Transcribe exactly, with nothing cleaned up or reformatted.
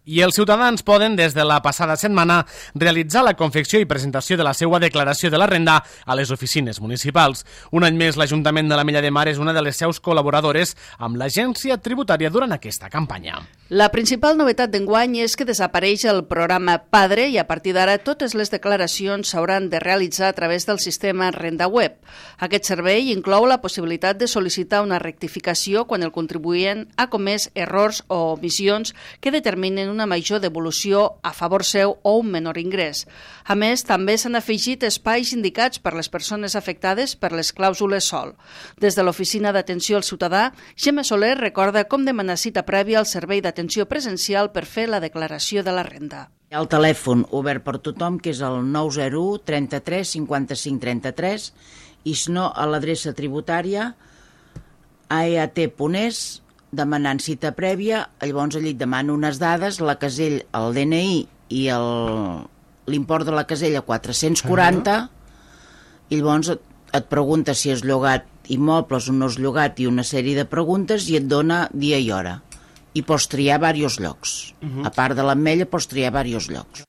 I els ciutadans poden, des de la passada setmana, realitzar la confecció i presentació de la seva declaració de la renda a les oficines municipals. Un any més, l'Ajuntament de l'Ametlla de Mar és una de les seus col·laboradores amb l'Agència Tributària durant aquesta campanya. La principal novetat d'enguany és que desapareix el programa Padre i a partir d'ara totes les declaracions s'hauran de realitzar a través del sistema Renda Web. Aquest servei inclou la possibilitat de sol·licitar una rectificació quan el contribuent ha comès errors o omissions que determinen una major devolució a favor seu o un menor ingrés. A més, també s'han afegit espais indicats per les persones afectades per les clàusules sòl. Des de l'Oficina d'Atenció al Ciutadà, Gemma Soler recorda com demanar cita prèvia al servei d'atenció presencial per fer la declaració de la renda. Hi ha el telèfon obert per tothom, que és el nou zero u trenta-tres cinquanta-cinc trenta-tres, i si no, a l'adreça tributària a e a te punt es, demanant cita prèvia. Llavors allí et demano unes dades, la casella, el de ene i i l'import de la casella quatre-cents quaranta, uh-huh. I llavors et, et pregunta si has llogat immobles o no has llogat i una sèrie de preguntes i et dona dia i hora. I pots triar diversos llocs. Uh-huh. A part de l'Ametlla pots triar diversos llocs.